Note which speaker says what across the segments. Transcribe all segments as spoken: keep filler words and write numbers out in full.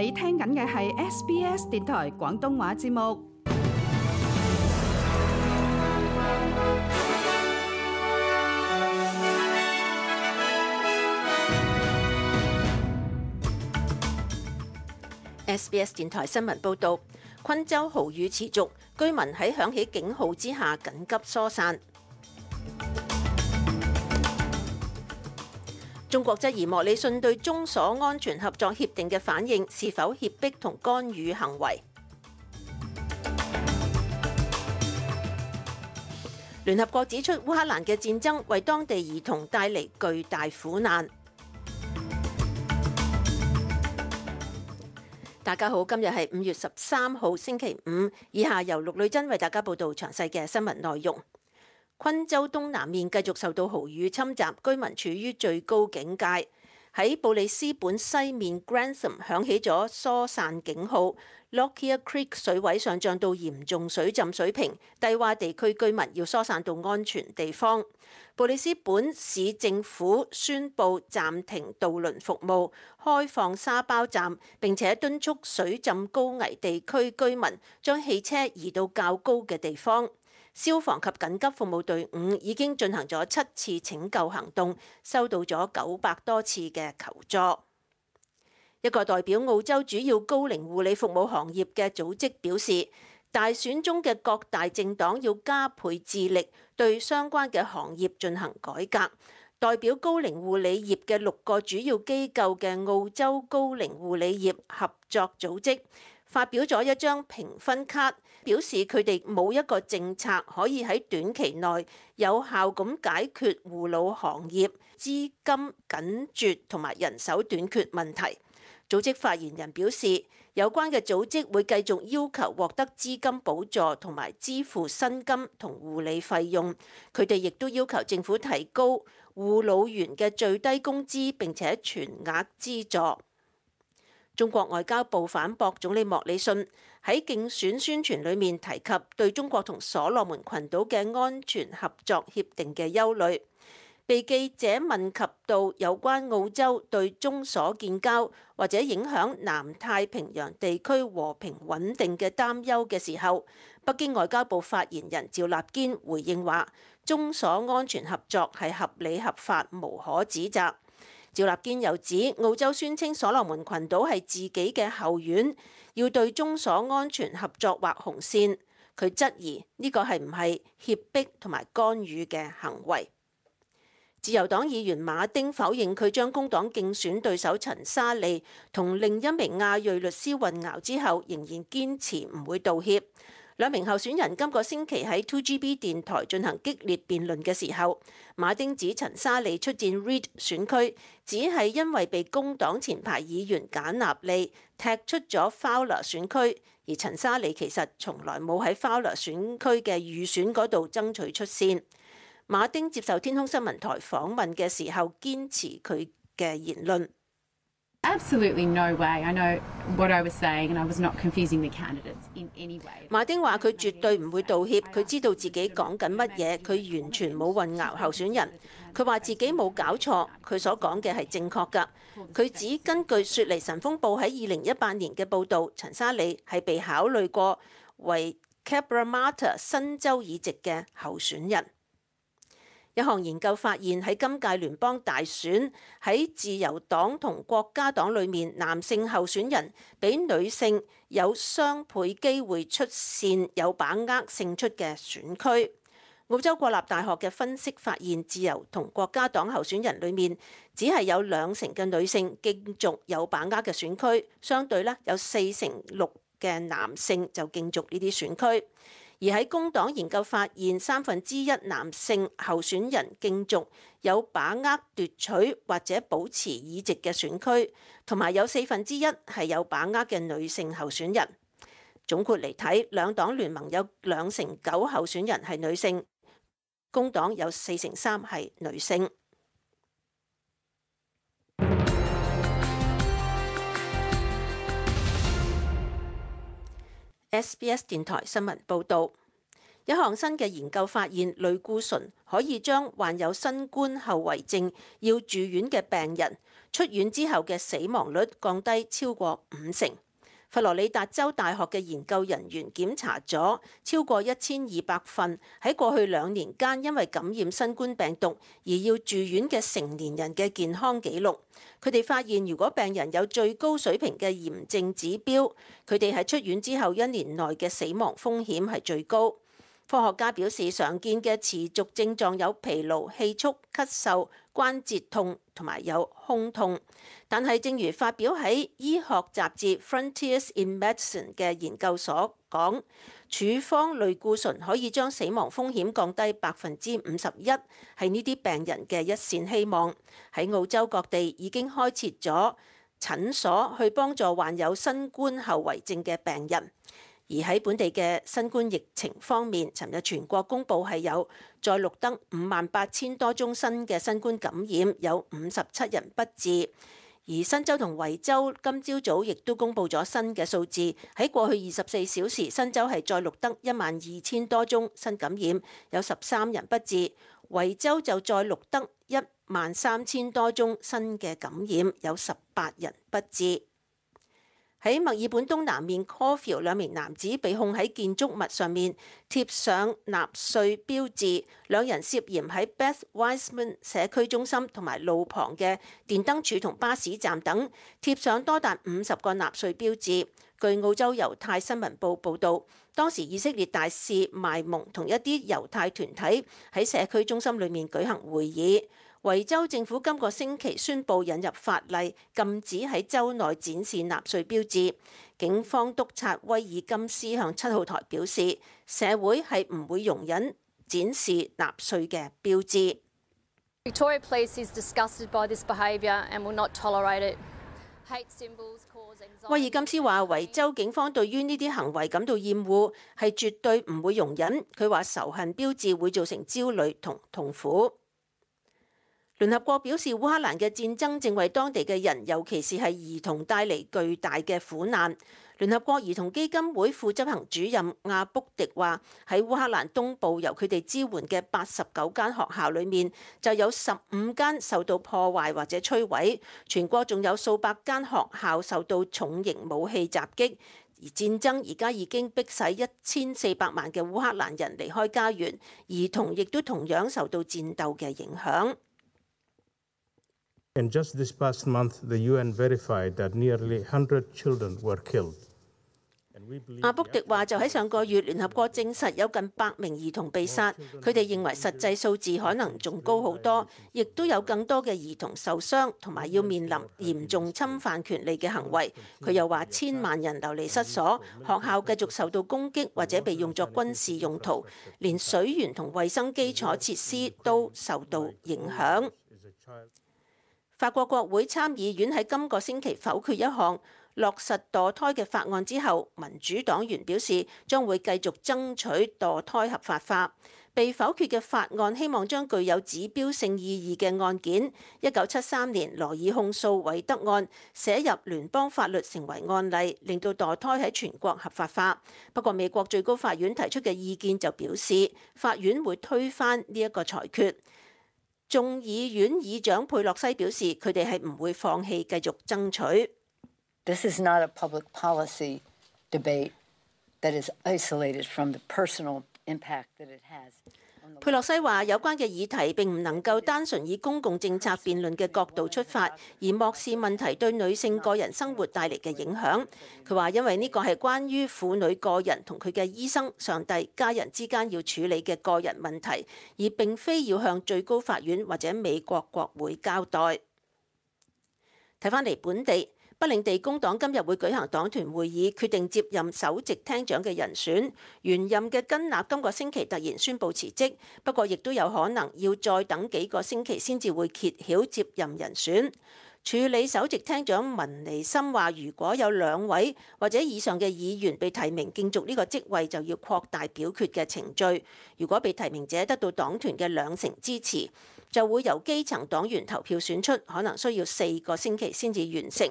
Speaker 1: 你聽緊嘅係 S B S 電台廣東話節目。
Speaker 2: S B S 電台新聞報導，昆州豪雨持續，居民喺響起警號之下緊急疏散。中國質疑莫里遜對中所安全合作協定嘅反應是否脅迫同干預行為。聯合國指出，烏克蘭嘅戰爭為當地兒童帶嚟巨大苦難。大家好，今日係五月十三號星期五，以下由陸女真為大家報道詳細嘅新聞內容。昆州東南面繼續受到豪雨侵襲，居民處於最高警戒。喺布里斯本西面 Grantham 響起咗疏散警號 ，Lockyer Creek 水位上漲到嚴重水浸水平，低洼地區居民要疏散到安全地方。布里斯本市政府宣布暫停渡輪服務，開放沙包站，並且敦促水浸高危地區居民將汽車移到較高嘅地方。消防及緊急服務隊伍已經進行咗七次拯救行動，收到咗九百多次嘅求助。一個代表澳洲主要高齡護理服務行業嘅組織表示，大選中嘅各大政黨要加倍致力對相關嘅行業進行改革。代表高齡護理業嘅六個主要機構嘅澳洲高齡護理業合作組織發表咗一張評分卡，表示佢哋冇一個政策可以喺短期內有效咁解決護老行業資金緊絀同埋人手短缺問題。組織發言人表示，有關嘅組織會繼續要求獲得資金補助同埋支付薪金同護理費用。佢哋亦都要求政府提高護老員嘅最低工資並且全額資助。中國外交部反駁總理莫里遜喺競選宣傳裏面提及對中國同所羅門群島嘅安全合作協定嘅憂慮。被記者問及到有關澳洲對中所建交或者影響南太平洋地區和平穩定嘅擔憂嘅時候，北京外交部發言人趙立堅回應話：中所安全合作係合理合法，無可指責。趙立堅又指，澳洲宣稱所羅門群島係自己嘅後院，要對中所安全合作劃紅線。佢質疑呢個係唔係脅迫同埋干預嘅行為。自由黨議員馬丁否認佢將工黨競選對手陳沙利同另一名亞裔律師混淆之後，仍然堅持唔會道歉。兩名候選人今個星期喺 two G B 電台進行激烈辯論嘅時候，馬丁指陳沙利出戰 Reid 選區，只係因為被工黨前排議員簡納利踢出咗 Fowler 選區，而陳沙利其實從來冇喺 Fowler 選區嘅預選嗰度爭取出線。馬丁接受天空新聞台訪問嘅時候，堅持佢嘅言論。
Speaker 3: Absolutely no way. I know what I was saying and I was not confusing the candidates in any way.
Speaker 2: 馬丁話佢絕對唔會道歉，佢知道自己講緊乜嘢，佢完全冇混淆候選人。佢話自己冇搞錯，佢所講嘅係正確㗎。佢指根據雪梨晨鋒報喺二零一八年嘅報導，陳沙利係被考慮過為 Cabramatta 新州議席嘅候選人。一項研究發現喺今屆聯邦大選，喺自由黨同國家黨裏面，男性候選人比女性有雙倍機會出線，有把握勝出嘅選區。澳洲國立大學嘅分析發現，自由同國家黨候選人裏面只係有兩成嘅女性競逐有把握嘅選區，相對咧有四成六嘅男性就競逐呢啲選區。而喺工黨研究發現，三分之一男性候選人競逐有把握奪取或者保持議席嘅選區，同埋有四分之一係有把握嘅女性候選人。總括嚟睇，兩黨聯盟有兩成九候選人係女性，工黨有四成三係女性。S B S 電台新聞報導，一項新嘅研究發現，類固醇可以將患有新冠後遺症要住院嘅病人出院之後嘅死亡率降低超過五成。佛羅里達州大學嘅研究人員檢查咗超過一千二百份喺過去兩年間因為感染新冠病毒而要住院嘅成年人嘅健康記錄。佢哋發現，如果病人有最高水平嘅炎症指標，佢哋喺出院之後一年內嘅死亡風險係最高。科學家表示，常見嘅持續症狀有疲勞、氣促、咳嗽、關節痛同埋有胸痛。但係正如發表喺醫學雜誌 Frontiers in Medicine 嘅研究所講，處方類固醇可以將死亡風險降低百分之五十一，係呢啲病人嘅一線希望。喺澳洲各地已經開設咗診所去幫助患有新冠後遺症嘅病人。而喺本地嘅新冠疫情方面，尋日全國公布係有再錄得五萬八千多宗新嘅新冠感染，有五十七人不治。而新州同維州今朝早亦都公布咗新嘅數字，喺過去二十四小時，新州係再錄得一萬二千多宗新感染，有十三人不治；維州就再錄得一萬三千多宗新嘅感染，有十八人不治。喺墨爾本東南面 Caulfield 兩名男子被控喺建築物上面貼上納粹標誌，兩人涉嫌喺 Beth Wiseman 社區中心同埋路旁嘅電燈柱同巴士站等貼上多達五十個納粹標誌。據澳洲猶太新聞報報導，當時以色列大使邁蒙同一啲猶太團體喺社區中心裏面舉行會議。維州政府今個星期宣布引入法例，禁止喺州內展示納粹標誌。警方督察威爾金斯向七號台表示，社會係唔會容忍展示納粹嘅標誌。
Speaker 4: Victoria Police is disgusted by this behaviour and will not tolerate it. Hate symbols cause anxiety.
Speaker 2: 威爾金斯話，維州警方對於呢啲行為感到厭惡，係絕對唔會容忍。佢話仇恨標誌會造成焦慮同痛苦。聯合國表示，烏克蘭嘅戰爭正為當地嘅人，尤其是係兒童帶嚟巨大嘅苦難。聯合國兒童基金會副執行主任亞卜迪話，喺烏克蘭東部由佢哋支援嘅八十九間學校裏面，就有十五間受到破壞或者摧毀，全國仲有數百間學校受到重型武器襲擊。而戰爭而家已經迫使一千四百萬嘅烏克蘭人離開家園，兒童亦都同樣受到戰鬥嘅影響。
Speaker 5: And just this past month, the U N verified that nearly one hundred children were killed.
Speaker 2: 阿卜迪話：就喺上個月，聯合國證實有近百名兒童被殺，佢哋認為實際數字可能仲高好多，亦都有更多嘅兒童受傷，同埋要面臨嚴重侵犯權利嘅行為。佢又話：千萬人流離失所，學校繼續受到攻擊或者被用作軍事用途，連水源同衛生基礎設施都受到影響。法國國會參議院喺今個星期否決一項落實墮胎嘅法案之後，民主黨員表示將會繼續爭取墮胎合法化。被否決嘅法案希望將具有指標性意義嘅案件——一九七三年羅爾控訴韋德案——寫入聯邦法律成為案例，令到墮胎喺全國合法化。不過，美國最高法院提出嘅意見就表示，法院會推翻呢一個裁決。眾議院議長佩洛西表示，佢哋係唔會放棄繼續爭取。
Speaker 6: This is not a public policy debate that is isolated from the personal impact that it has.
Speaker 2: 佩洛西話：有關嘅議題並唔能夠單純以公共政策辯論嘅角度出發，而漠視問題對女性個人生活帶嚟嘅影響。佢話：因為呢個係關於婦女個人同佢嘅醫生、上帝、家人之間要處理嘅個人問題，而並非要向最高法院或者美國國會交代。睇返嚟本地。北領地工黨今日會舉行黨團會議，決定接任首席廳長嘅人選。原任嘅根納今個星期突然宣布辭職，不過亦都有可能要再等幾個星期先至會揭曉接任人選。處理首席廳長文尼森話：如果有兩位或者以上嘅議員被提名競逐呢個職位，就要擴大表決嘅程序。如果被提名者得到黨團嘅兩成支持，就會由基層黨員投票選出，可能需要四個星期先至完成。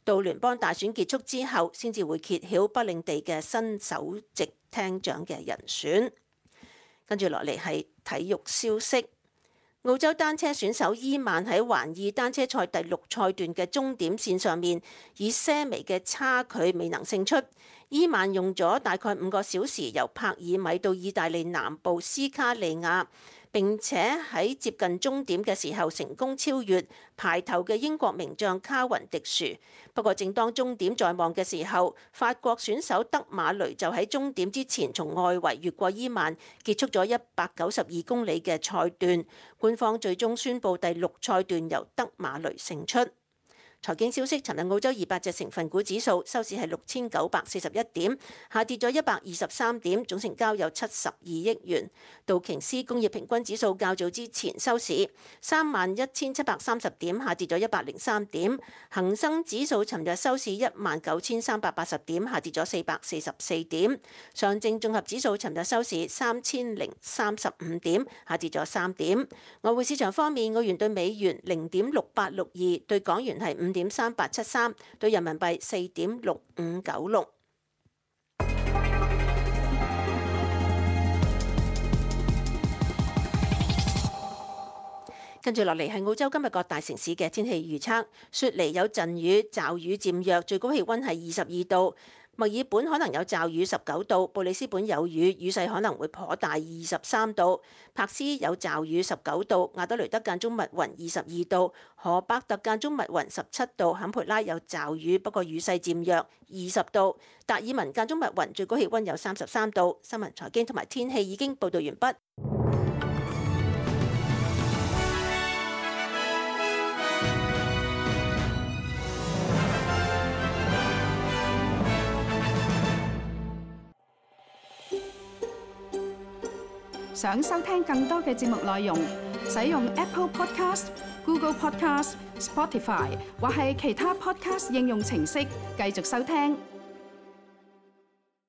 Speaker 2: 到聯邦大選結束之後，先至會揭曉北領地嘅新首席廳長嘅人選。跟住落嚟係體育消息。澳洲單車選手伊曼喺環意單車賽第六賽段嘅終點線上面，以些微嘅差距未能勝出。伊曼用咗大概五個小時由帕爾米到意大利南部斯卡利亞，並且喺接近終點嘅時候成功超越排頭嘅英國名將卡雲迪殊。不過正當終點在望嘅時候，法國選手德馬雷就喺終點之前從外圍越過伊曼，結束咗一百九十二公里嘅賽段。官方最終宣布第六賽段由德馬雷勝出。財經消息，尋日澳洲二百隻成分股指數收市係六千九百四十一點，下跌咗一百二十三點，總成交有七十二億元。道瓊斯工業平均指數較早之前收市三萬一千七百三十點，下跌咗一百零三點。恒生指數尋日收市一萬九千三百八十點，下跌咗四百四十四點。上證綜合指數尋日收市三千零三十五點，下跌咗三點。外匯市場方面，澳元對美元零點六八六二，對港元係五點三八七三，對人民幣四點六五九六。跟住落嚟係澳洲今日各大城市嘅天氣預測。雪梨有陣雨，驟雨漸弱，最高氣溫係二十二度。墨爾本可能有驟雨十九度，布里斯本有雨，雨勢可能會頗大二十三度，柏斯有驟雨十九度，亞德雷德間中密雲二十二度，荷伯特間中密雲十七度，坎培拉有驟雨，不過雨勢漸弱二十度，達爾文間中密雲，最高氣溫有三十三度。新聞財經同埋天氣已經報道完畢。
Speaker 1: 想收聽更多嘅節目內容，使用 Apple Podcast、Google Podcast、Spotify 或係其他 Podcast 應用程式繼續收聽。